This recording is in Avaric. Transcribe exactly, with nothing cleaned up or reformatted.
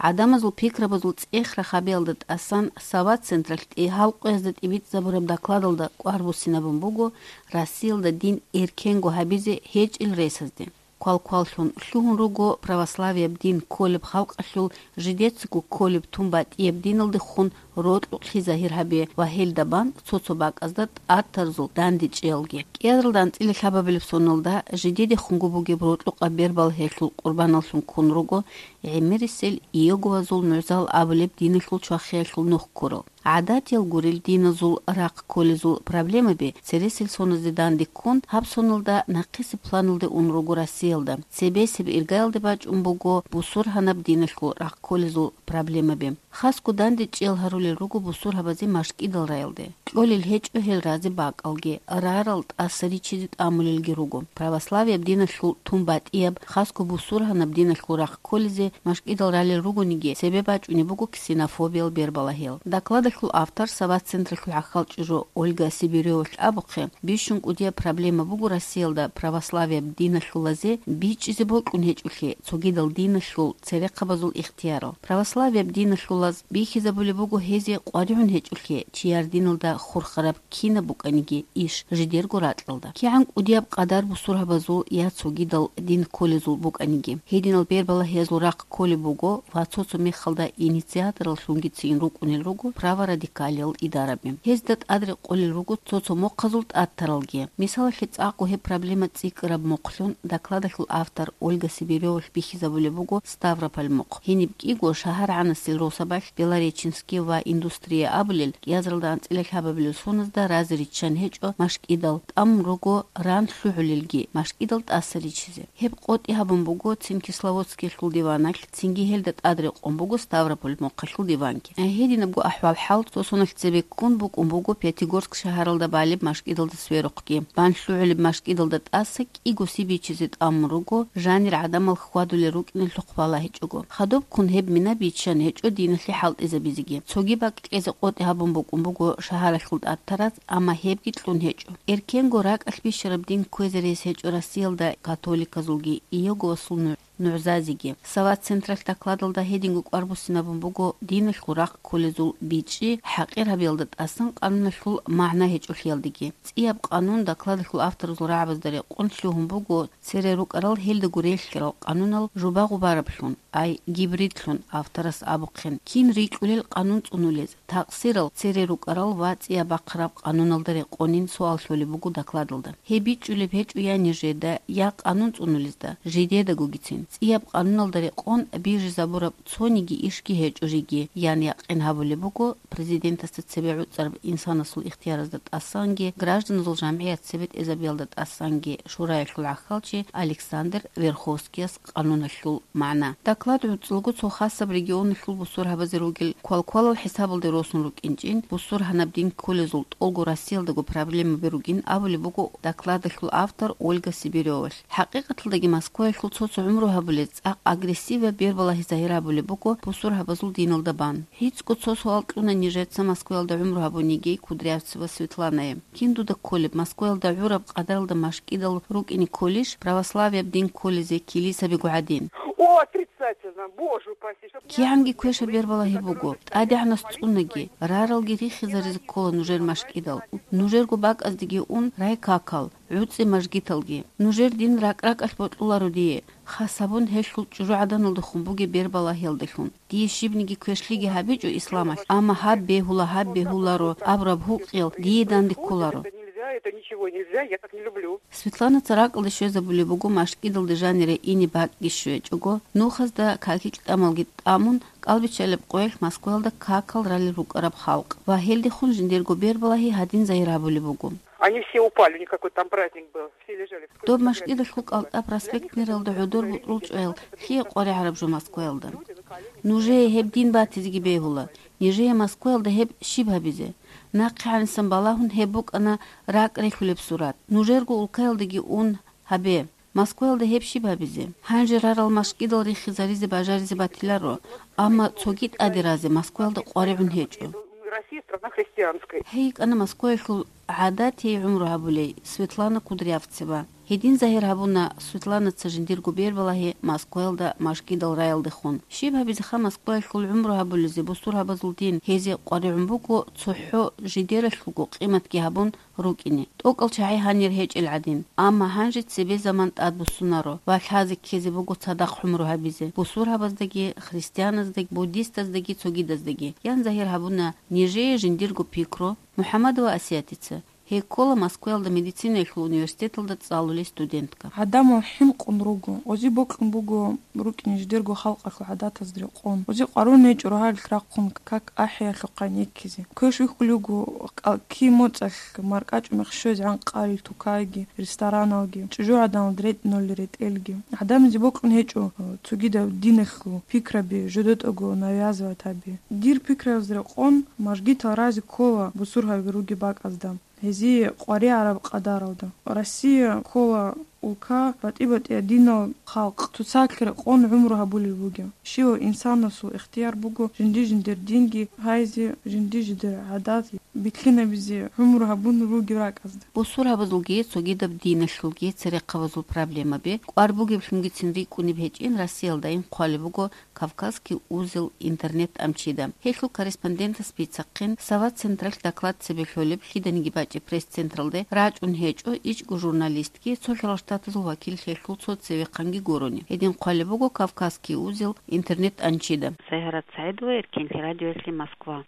ГӀадамазул пикрабазул цӀех-рахабиялда тӀасан Сават централъ тӀигьал къоязда тӀибитӀзабураб докладалда кӀвар буссинабун буго Россиялда дин эркенго гьабизе гьечӀел ресазде. Квалкваллъун лъугьун руго православияб дин кколеб халкъалъул жидецаго кколеб тун батӀияб диналдехун рокьукълъи загьир гьабе ва гьелда бан цо-цо бакӀазда тӀатарзул дандечӀеялги. КӀиазаралда анцӀила лъабабилеб соналда жидедехунго бугеб рокьукъаб бербал гьелъул къурбаналлъун ккун руго гӀемерисел Иеговазул нугӀзал абулеб диналъул чвахиялъул нух ккурал. ГӀадатиял гурел диназул рахъ кколезул проблемаби цересел соназде данде ккун, гьаб соналда нахъисеб планалде ун руго Россиялда. Цебесеб иргаялде бачӀун буго бусургьанаб диналъул рахъ кколезул проблемаби. Хасго дандечӀел гьарулел руго бусургьабазе машкӀидал раялде. Кьолел гьечӀо гьел разе бакӀалги, рарал тӀаса ричизе тӀамулелги руго. Православияб диналъул тун батӀияб, хасго бусургьанаб диналъул рахъ кколезе машкӀидал ралел ругониги, цебе бачӀунеб буго ксенофобиял бербалагьел. Докладалъул автор, Сават централъул хӀахьал чӀужу Ольга Сибиревалъ абухъе, бищун кӀудияб проблема буго Россиялда православияб диналъулазе бичӀчӀизе бокьун гьечӀолъи цогидал диналъул церехъабазул ихтиярал. Православияб диналъулаз бихьизабулеб буго гьезе къваригӀун гьечӀолъи чияр диналда хурхараб кинаб букӀаниги иш жидерго ракьалда. КигӀан кӀудияб къадар бусургьабазул я цогидал дин кколезул букӀаниги, гьединал бербалагьиязул рахъ кколеб буго ва цо-цо мехалда инициатораллъунгицин рукӀунел руго праворадикалиял идараби. Гьезда тӀадрекъолел руго цо-цо мохъазул тӀатаралги. Мисалалъе, цӀакъго гьеб проблема цӀикӀкӀараб мохълъун докладалъул автор Ольга Сибиревалъ бихьизабулеб буго Ставрополь мохъ. Гьениб кӀиго шагьаргӀанасел росабалъ Белореченский ва Индустрия абулел кӀиазаралда анцӀила лъабабилел соназда разе риччан гьечӀо машкӀидал, тӀамун руго ран лъугӀулелги машкӀидал тӀаса ричизе. Гьеб къотӀи гьабун буго цин Кисловодскиялъул диваналъ, цинги гьелда тӀадрекъон буго Ставрополь мохъалъул диванги. Гьединабго ахӀвал-хӀал цо соналъ цебеккун букӀун буго Пятигорск шагьаралда балеб машкӀидалда сверухъги. Бан лъугӀулеб машкӀидалда тӀаса кӀиго си бичизе тӀамун руго, жанир гӀадамал хьвадулел рукӀиналъухъ балагьичӀого. Хадубккун гьеб мина биччан гьечӀо диналъе хӀалтӀизабизеги. Цоги бакӀ кьезе къотӀи гьабун букӀун буго шагьаралъул тӀатараз, амма гьебги кьун гьечӀо. Эркенго ракӀалъ бищараб дин кквезе рес гьечӀо Россиялда католиказулги Иеговасул нугӀ-, нугӀзазеги. Сават централъ докладалда гьединго кӀвар буссинабун буго диналъул рахъ кколезул бичӀчӀи хӀакъир гьабиялда тӀасан къануналъул магӀна гьечӀолъиялдеги. ЦӀияб къанун докладалъул авторазул рагӀабазда рекъон лъугьун буго цере рукӀарал гьелдаго релълъарал къанунал жуба-гъубараблъун, ай гибридлъун авторас абухъин, кин рикьулел къанун цӀунулез, такъсирал цере рукӀарал ва цӀияб бахъараб къануналда рекъонин суал лъолеб буго докладалда. Гьеб бичӀчӀулеб гьечӀо я нижеда, я къанун цӀунулезда, жидедагогицин. ЦӀияб къануналда рекъон бижизабураб цониги ишги гьечӀо жеги, ян якъин гьабулеб буго президентасда цебе гӀуцӀараб инсанасул ихтияразда тӀасанги, гражданазул жамгӀият цебетӀезабиялда тӀасанги шураялъул гӀахьалчи Александр Верховскияс къануналъул магӀна. Доклад гӀуцӀулго цо хасаб регионалъул бусургьабазе ругел квалквалал хӀисабалде росун рукӀинчӀин, бусургьанаб дин кколезул тӀолго Россиялдаго проблемаби ругин абулеб буго докладалъул автор Ольга Сибиревалъ. ХӀакъикъаталдаги Москваялъул цо-цо гӀумру гьабулел цӀакъ агрессиваб бербалагьи загьир гьабулеб буго бусургьабазул диналда бан. ГӀицӀго цо суал кьуна нижеца Москваялда гӀумру гьабуниги Кудрявцева Светланае. Кин дуда кколеб, Москваялда гӀураб къадаралда машкӀидал рукӀине кколищ, православияб дин кколезе килисабиго гӀадин? О, отрицательно, боже упаси, чтоб я... КигӀанги квешаб бербалагьи буго, тӀадегӀанас цӀунаги, раралги рихизаризе ккола нужер машкӀидал. Нужерго бакӀаздеги ун райкакал, гӀуцӀи мажгиталги. Нужер дин ракӀ-ракӀалъ бокьуларо дие, хас гьабун гьелъул чӀужугӀаданалдехун бугеб бербалагьиялдалъун. Дие щибниги квешлъиги гьабичӀо исламалъ, амма гьаб бегьула, гьаб бегьуларо абураб гьукъиял дие данде кколаро. Это ничего нельзя, я так не люблю. Светланаца ракӀалде щвезабулеб буго машкӀидалде жанире ине бакӀги щвечӀого, нухазда какил-тӀамалги тӀамун, кӀалбиччалеб къоялъ Москваялда какал ралел рукӀараб халкъ ва гьелдехун жиндирго бербалагьи гьадин загьир гьабулеб буго. Они все упали, у них какой-то там праздник был, все лежали в... Доб машкӀидалъул КӀалтӀа проспектниралда гӀодор бутӀрул чӀваял лъие къваригӀараб жо Москваялда? Нужее гьеб дин батизеги бегьула, нижее Москваялда гьеб щиб гьабизе? Нахъе гӀанисан балагьун гьеб букӀана ракӀ релъулеб сурат. Нужерго улкаялдаги ун гьабе. Москваялда гьеб щиб гьабизе? Гьанже рарал машкӀидал рихизаризе бажаризе батиларо, амма цоги тӀаде разе Москваялда къваригӀун гьечӀо. Россия страна христианская. Гьей йикӀана Москваялъул гӀадатияй гӀумру гьабулей Светлана Кудрявцева. Гьедин загьир гьабуна Светланаца жиндирго бербалагьи Москваялда мажгидал раялдехун. Щиб гьабизеха Москваялъул гӀумру гьабулезе бусургьабазул дин, гьезие къваригӀун буго цохӀо жидералъулго къиматги гьабун рукӀине. ТӀокӀал чагӀи гьанир гьечӀел гӀадин. Амма гьанже цебе заман тӀадбуссунаро ва лъазе ккезе буго цадахъ гӀумру гьабизе бусургьабаздаги, христианаздаги, буддистаздаги, цогидаздаги. Ян загьир гьабуна нижее жиндирго пикру МухӀаммадова Асиятица. Гьей ккола Москваялда медицинаялъул университеталда цӀалулей студентка. ГӀадамал хӀинкъун руго, гъози бокьун буго рукӀине жидерго халкъалъул гӀадатазда рекъон. Гъози къварун гьечӀо рогьалилъ рахъун как ахӀиялъухъ гӀенеккизе. Квеш вихьулев вуго кӀалки моцӀалъ маркӀачӀумех щвезегӀан къалил тукайги, рестораналги, чӀужугӀаданалда ретӀиналли ретӀелги. ГӀадамазе бокьун гьечӀо цогидаб диналъул пикраби жодетӀаго навязывать гьаби. Дир пикрабазда рекъон, мажгитал рази ккола бусургьаби ругеб бакӀазда. Гьезие къваригӀараб къадаралда. Россия ккола улка батӀи-батӀияб динал халкъ, цоцалъ рекъон гӀумру гьабулел бугеб. Щивав инсанасул ихтияр буго жинди-жиндир динги гьайзе, жинди-жиндир гӀадат бихьинабизе гӀумру гьабун ругеб ракӀазда. Бусургьабазулги цогидаб диналъулги церехъабазул проблемаби кӀвар бугеблъунгицин рикӀкӀунеб гьечӀин Россиялдайин хъвалеб буго «Кавказский узел» интернет-тӀамчида. Гьелъул корреспондентас бицахъин, «Сава» централъ доклад цебе лъолеб лъиданиги бачӀеб пресс-централде рачӀун гьечӀо ичӀго журналистги, цо Лъалаштатазул вакил гьелъул цо цевехъанги гурони. Гьедин хъвалеб буго «Кавказский узел» интернет-тӀамчида. Сайгьарат СагӀидова, Эркенлъи радиоялъе, Москва.